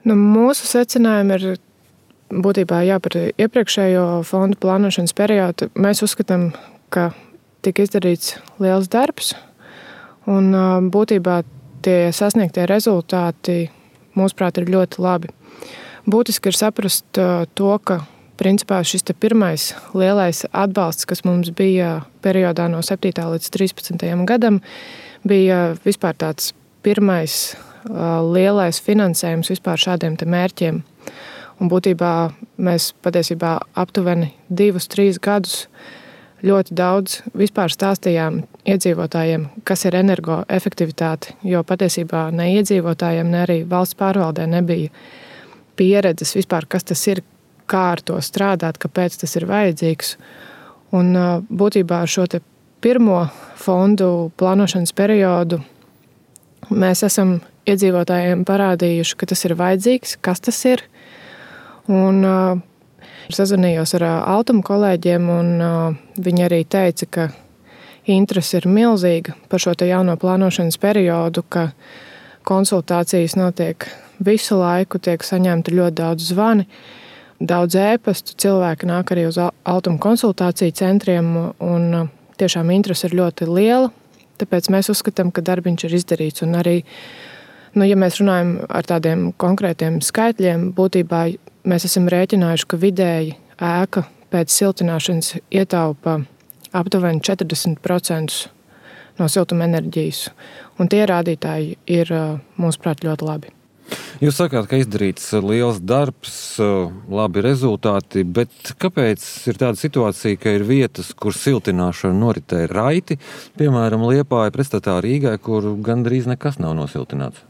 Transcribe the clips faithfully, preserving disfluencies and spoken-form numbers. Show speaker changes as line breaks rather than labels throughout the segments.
Nu, mūsu secinājumi ir būtībā jā, par iepriekšējo fondu plānošanas periodu. Mēs uzskatām, ka tika izdarīts liels darbs, un būtībā tie sasniegtie rezultāti, mūsuprāt, ir ļoti labi. Būtiski ir saprast to, ka principā šis te pirmais lielais atbalsts, kas mums bija periodā no septītā līdz trīspadsmitajam gadam, bija vispār tāds pirmais lielais finansējums vispār šādiem te mērķiem. Un būtībā mēs patiesībā aptuveni divus, trīs gadus ļoti daudz vispār stāstījām iedzīvotājiem, kas ir energoefektivitāte, jo patiesībā ne iedzīvotājiem, ne arī valsts pārvaldē nebija pieredzes vispār, kas tas ir, kā ar to strādāt, kāpēc tas ir vajadzīgs. Un būtībā šo te pirmo fondu plānošanas periodu mēs esam iedzīvotājiem parādījuši, ka tas ir vajadzīgs, kas tas ir. Un sazvanījos ar Altuma kolēģiem, un viņi arī teica, ka interese ir milzīga par šo te jauno plānošanas periodu, ka konsultācijas notiek visu laiku, tiek saņemti ļoti daudz zvani, daudz ēpastu, cilvēki nāk arī uz Altuma konsultāciju centriem, un tiešām interese ir ļoti liela, tāpēc mēs uzskatām, ka darbiņš ir izdarīts. Un arī, nu, ja mēs runājam ar tādiem konkrētiem skaitļiem, būtībā mēs esam rēķinājuši, ka vidēji ēka pēc siltināšanas ietaupa aptuveni četrdesmit procentus no siltuma enerģijas. Un tie rādītāji ir, mūsuprāt, ļoti labi.
Jūs sakāt, ka izdarīts liels darbs, labi rezultāti, bet kāpēc ir tāda situācija, ka ir vietas, kur siltināšana noritē raiti, piemēram, Liepāja pretstatā Rīgai, kur gandrīz nekas nav nosiltināts?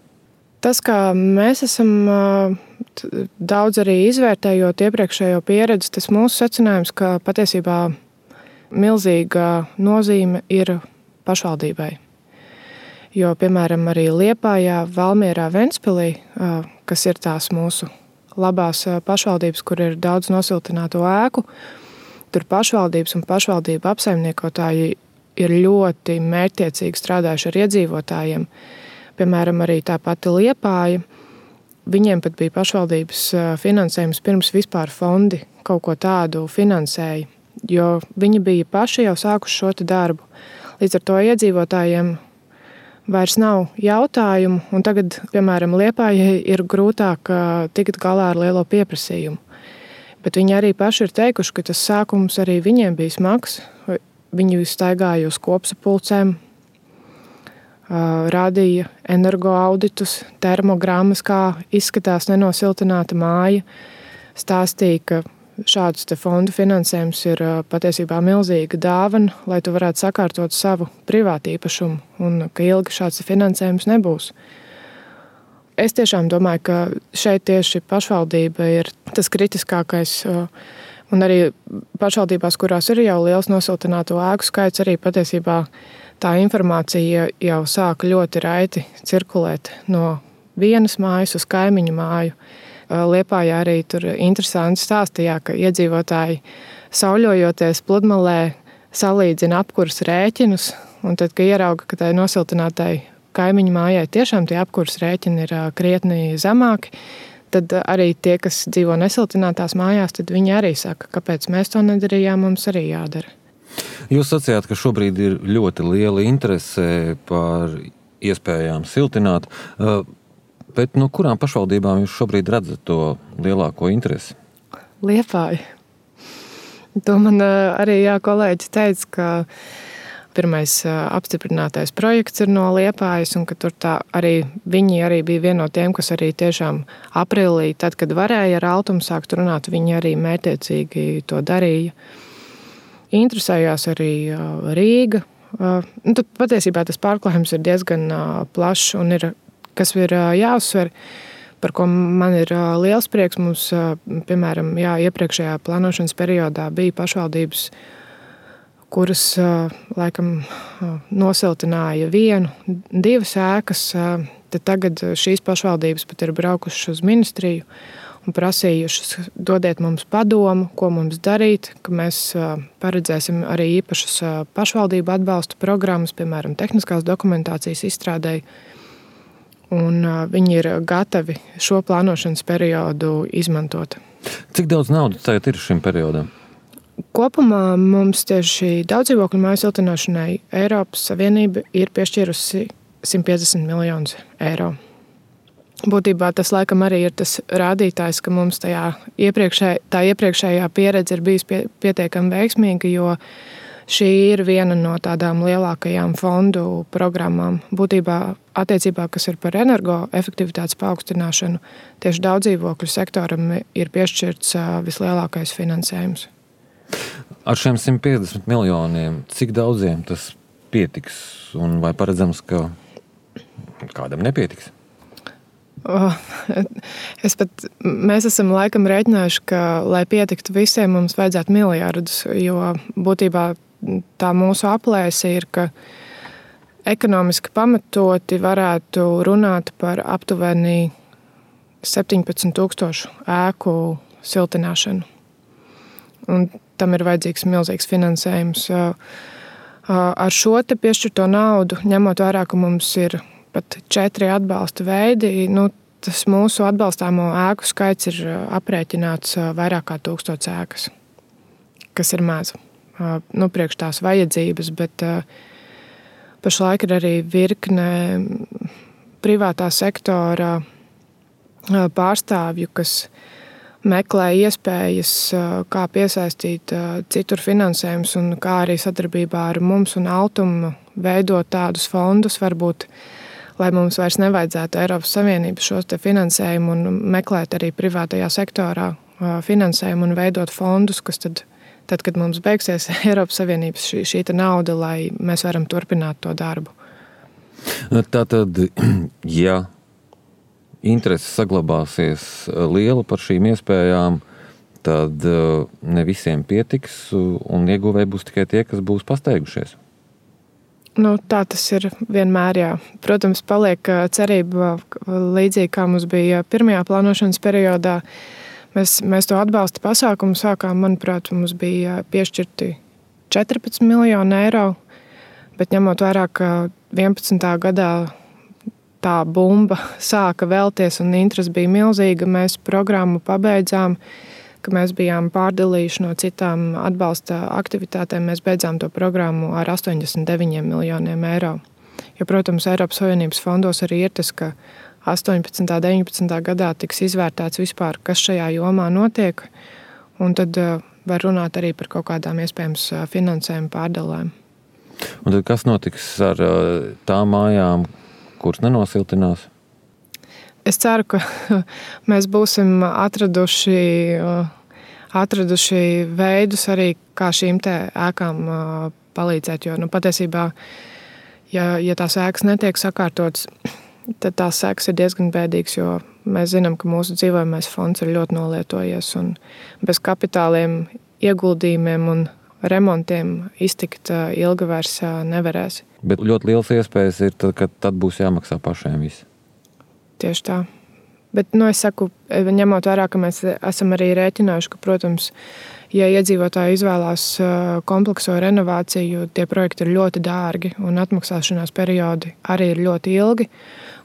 Tas, kā mēs esam daudz arī izvērtējot iepriekšējo pieredzi, tas mūsu secinājums, ka patiesībā milzīga nozīme ir pašvaldībai. Jo, piemēram, arī Liepājā, Valmierā, Ventspilī, kas ir tās mūsu labās pašvaldības, kur ir daudz nosiltināto ēku, tur pašvaldības un pašvaldību apsaimniekotāji ir ļoti mērķtiecīgi strādājuši ar iedzīvotājiem. Piemēram, arī tā pati Liepāja, viņiem pat bija pašvaldības finansējums pirms vispār fondi kaut ko tādu finansēja, jo viņi bija paši jau sākuši šo te darbu. Līdz ar to iedzīvotājiem vairs nav jautājumu, un tagad, piemēram, Liepājai ir grūtāk tikt galā ar lielo pieprasījumu. Bet viņi arī paši ir teikuši, ka tas sākums arī viņiem bija smags. Viņi staigāja uz kopsapulcēm, rādīja energoauditus, termogrammas, kā izskatās nenosiltināta māja, stāstīja, ka šādus te fondu finansējums ir patiesībā milzīga dāvana, lai tu varētu sakārtot savu privātu īpašumu, un ka ilgi šāds finansējums nebūs. Es tiešām domāju, ka šeit tieši pašvaldība ir tas kritiskākais, un arī pašvaldībās, kurās ir jau liels nosiltināto ēku skaits, arī patiesībā tā informācija jau sāka ļoti raiti cirkulēt no vienas mājas uz kaimiņu māju. Liepājā arī tur interesanti stāstījā, ka iedzīvotāji sauļojoties pludmalē salīdzina apkurs rēķinus, un tad, kad ierauga, ka tai nosiltinātai kaimiņu mājai tiešām tie apkurs rēķini ir krietni zemāki, tad arī tie, kas dzīvo nesiltinātās mājās, tad viņi arī saka, kāpēc mēs to nedarījām, mums arī jādara.
Jūs sacījāt, ka šobrīd ir ļoti liela interese par iespējām siltināt. Bet no kurām pašvaldībām jūs šobrīd redzat to lielāko interesi?
Liepāja. To man arī jā, kolēģis teica, ka pirmais apstiprinātais projekts ir no Liepājas, un ka tur tā arī viņi arī bija viena no tiem, kas arī tiešām aprīlī, tad, kad varēja ar Altumu sākt runāt, viņi arī mērķtiecīgi to darīja. Interesējās arī Rīga. Nu, tad patiesībā tas pārklājums ir diezgan plašs un ir kas ir jāuzsver, par ko man ir liels prieks. Mums, piemēram, jā, iepriekšējā plānošanas periodā bija pašvaldības, kuras laikam nosiltināja vienu, divas ēkas. Tad tagad šīs pašvaldības pat ir braukušas uz ministriju un prasījušas, dodiet mums padomu, ko mums darīt, ka mēs paredzēsim arī īpašas pašvaldību atbalsta programmas, piemēram, tehniskās dokumentācijas izstrādēji. un viņi ir gatavi šo plānošanas periodu izmantot.
Cik daudz naudas tagad ir šim periodam?
Kopumā mums tieši daudzdzīvokļu māju siltināšanai Eiropas Savienība ir piešķīrusi simt piecdesmit miljonus eiro. Būtībā tas laikam arī ir tas rādītājs, ka mums tajā iepriekšē, tā iepriekšējā pieredze ir bijusi pie, pietiekami veiksmīga, jo šī ir viena no tādām lielākajām fondu programmām. Būtībā attiecībā, kas ir par energoefektivitātes paaugstināšanu, tieši daudzdzīvokļu sektoram ir piešķirts vislielākais finansējums.
Ar šiem simt piecdesmit miljoniem, cik daudziem tas pietiks? Un vai paredzams, ka kādam nepietiks?
Oh, es pat, mēs esam laikam rēķinājuši, ka, lai pietiktu visiem, mums vajadzētu miljardus, jo būtībā tā mūsu aplēse ir, ka ekonomiski pamatoti varētu runāt par aptuveni septiņpadsmit tūkstošu ēku siltināšanu. Un tam ir vajadzīgs milzīgs finansējums. Ar šo te piešķirto naudu, ņemot vērā, ka mums ir pat četri atbalsta veidi, nu, tas mūsu atbalstāmo ēku skaits ir aprēķināts vairāk kā tūkstots ēkas, kas ir maz. Nu, priekš tās vajadzības, bet pašlaik ir arī virkne privātā sektora pārstāvju, kas meklē iespējas, kā piesaistīt citur finansējumus un kā arī sadarbībā ar mums un Altumu veidot tādus fondus, varbūt lai mums vairs nevajadzētu Eiropas Savienības šos te finansējumu un meklēt arī privātajā sektorā finansējumu un veidot fondus, kas tad, tad kad mums beigsies Eiropas Savienības šī, šī te nauda, lai mēs varam turpināt to darbu.
Tātad, ja interese saglabāsies liela par šīm iespējām, tad ne visiem pietiks un ieguvēji būs tikai tie, kas būs pasteigušies.
Nu, tā tas ir vienmēr, jā. Protams, paliek cerība līdzīgi, kā mums bija pirmajā plānošanas periodā. Mēs, mēs to atbalsta pasākumu sākām, manuprāt, mums bija piešķirti četrpadsmit miljoni eiro, bet ņemot vērā, ka vienpadsmitā gadā tā bumba sāka vēlties un interese bija milzīga, mēs programmu pabeidzām, ka mēs bijām pārdalījuši no citām atbalsta aktivitātēm, mēs beidzām to programmu ar astoņdesmit deviņiem miljoniem eiro. Jo, protams, Eiropas Savienības fondos arī ir tas, ka astoņpadsmitā, deviņpadsmitā gadā tiks izvērtēts vispār, kas šajā jomā notiek, un tad var runāt arī par kaut kādām iespējams finansējuma pārdalēm.
Un tad kas notiks ar tām mājām, kuras nenosiltinās?
Es ceru, ka mēs būsim atraduši, atraduši veidus arī, kā šīm te ēkām palīdzēt. Jo nu, patiesībā, ja, ja tās ēkas netiek sakārtotas, tad tās ēkas ir diezgan bēdīgas, jo mēs zinām, ka mūsu dzīvojamais fonds ir ļoti nolietojies. Un bez kapitāliem, ieguldījumiem un remontiem iztikt ilgi vairs nevarēs.
Bet ļoti liels iespējas ir, tad, ka tad būs jāmaksā pašiem viss.
Tieši tā. Bet, nu, es saku, ņemot vērā, ka mēs esam arī rēķinājuši, ka, protams, ja iedzīvotāji izvēlās komplekso renovāciju, tie projekti ir ļoti dārgi un atmaksāšanās periodi arī ir ļoti ilgi.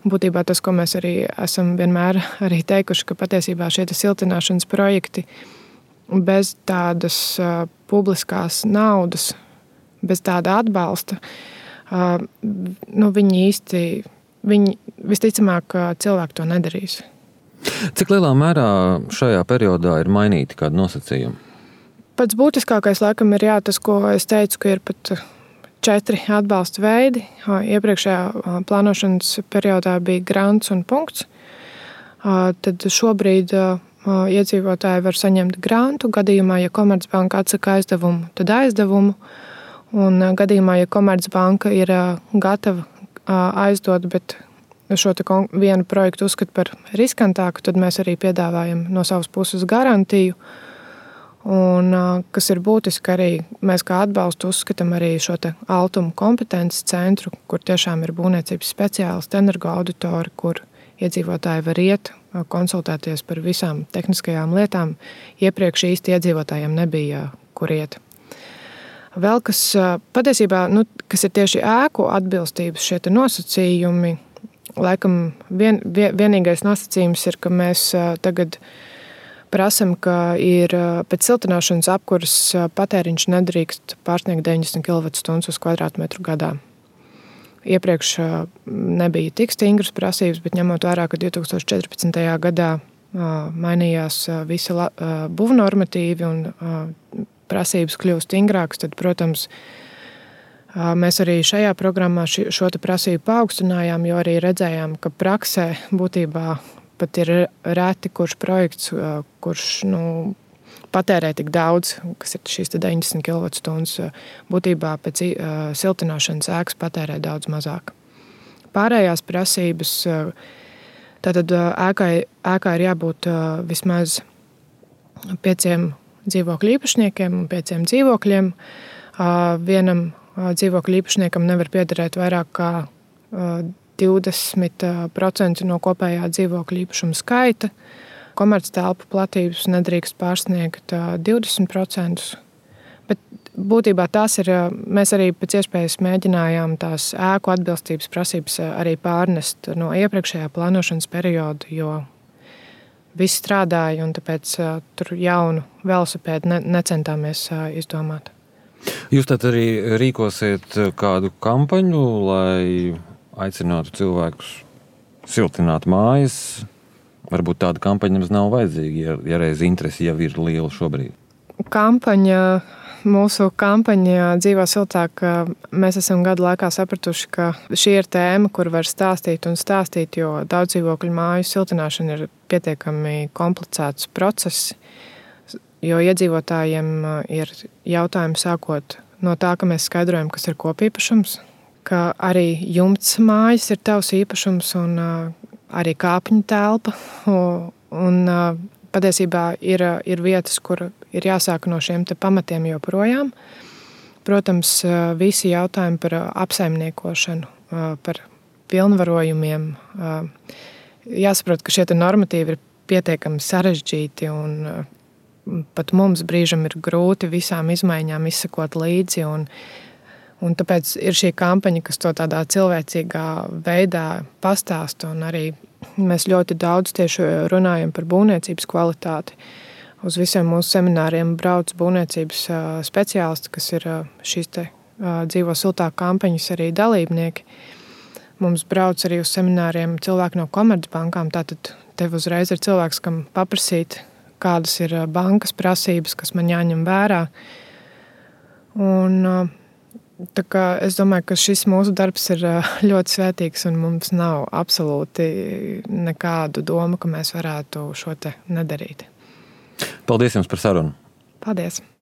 Būtībā tas, ko mēs arī esam vienmēr arī teikuši, ka patiesībā šie siltināšanas projekti bez tādas publiskās naudas, bez tāda atbalsta, nu, viņi īsti Viņi visticamāk cilvēki to nedarīs.
Cik lielā mērā šajā periodā ir mainīti kādi nosacījumi?
Pats būtiskākais laikam ir jā, tas, ko es teicu, ka ir pat četri atbalsta veidi. Iepriekšējā plānošanas periodā bija grants un punkts. Tad šobrīd iedzīvotāji var saņemt grantu. Gadījumā, ja Komercbanka atsaka aizdevumu, tad aizdevumu. Un gadījumā, ja Komercbanka ir gatava aizdot, bet šo te vienu projektu uzskata par riskantāku, tad mēs arī piedāvājam no savas puses garantiju. Un, kas ir būtiski arī, mēs kā atbalstu uzskatām arī šo te Altumu kompetences centru, kur tiešām ir būvniecības speciālisti, energoauditori, kur iedzīvotāji var iet, konsultēties par visām tehniskajām lietām. Iepriekš īsti iedzīvotājiem nebija, kur iet. Vēl kas patiesībā, nu, kas ir tieši ēku atbilstības šie nosacījumi, laikam vien, vien, vienīgais nosacījums ir, ka mēs tagad prasam, ka ir pēc siltināšanas apkuras patēriņš nedrīkst pārsniegt deviņdesmit kilovatstundas uz kvadrātmetru gadā. Iepriekš nebija tik stingras prasības, bet ņemot vērā, ka divtūkstoš četrpadsmitajā gadā mainījās visi būvnormatīvi un prasības kļuva stingrākas, tad, protams, mēs arī šajā programmā šo te prasību paaugstinājām, jo arī redzējām, ka praksē būtībā pat ir reti, kurš projekts, kurš nu, patērē tik daudz, kas ir šīs deviņdesmit kilovatstundas, būtībā pēc siltināšanas ēkas patērē daudz mazāk. Pārējās prasības, tātad ēkai, ēkai ir jābūt vismaz pieciem dzīvokļu īpašniekiem un pieciem dzīvokļiem. Vienam dzīvokļu īpašniekam nevar piederēt vairāk kā divdesmit procenti no kopējā dzīvokļu īpašuma skaita. Komerctelpu platības nedrīkst pārsniegt divdesmit procentus. Bet būtībā tās ir, mēs arī pēc iespējas mēģinājām tās ēku atbilstības prasības arī pārnest no iepriekšējā plānošanas perioda, jo viss strādāja un tāpēc tur jaunu velosipēdu ne, necentāmies izdomāt.
Jūs tad arī rīkosiet kādu kampaņu, lai aicinātu cilvēkus siltināt mājas? Varbūt tāda kampaņa mums nav vajadzīga, ja, ja reiz interesi jau ir liela šobrīd.
Kampaņa, mūsu kampaņa Dzīvo siltāk, mēs esam gadu laikā sapratuši, ka šī ir tēma, kur var stāstīt un stāstīt, jo daudzdzīvokļu māju siltināšana ir pietiekami komplicēts process, jo iedzīvotājiem ir jautājumi sākot no tā, ka mēs skaidrojam, kas ir kopīpašums, ka arī jumts mājas ir tavs īpašums un arī kāpņu telpa. Un patiesībā ir, ir vietas, kur ir jāsāk no šiem te pamatiem joprojām. Protams, visi jautājumi par apsaimniekošanu, par pilnvarojumiem. Jāsaprot, ka šie te normatīvi ir pietiekami sarežģīti un pat mums brīžam ir grūti visām izmaiņām izsekot līdzi. Un, un tāpēc ir šī kampaņa, kas to tādā cilvēcīgā veidā pastāsta. Un arī mēs ļoti daudz tieši runājam par būvniecības kvalitāti. Uz visiem mūsu semināriem brauc būvniecības speciālisti, kas ir šīs te Dzīvo siltāk kampaņas arī dalībnieki. Mums brauc arī uz semināriem cilvēki no komercbankām. Tātad tev uzreiz ir cilvēks, kam paprasīt, kādas ir bankas prasības, kas man jāņem vērā. Un tā kā es domāju, ka šis mūsu darbs ir ļoti svētīgs un mums nav absolūti nekādu domu, ka mēs varētu šo te nedarīt.
Paldies jums par sarunu.
Paldies.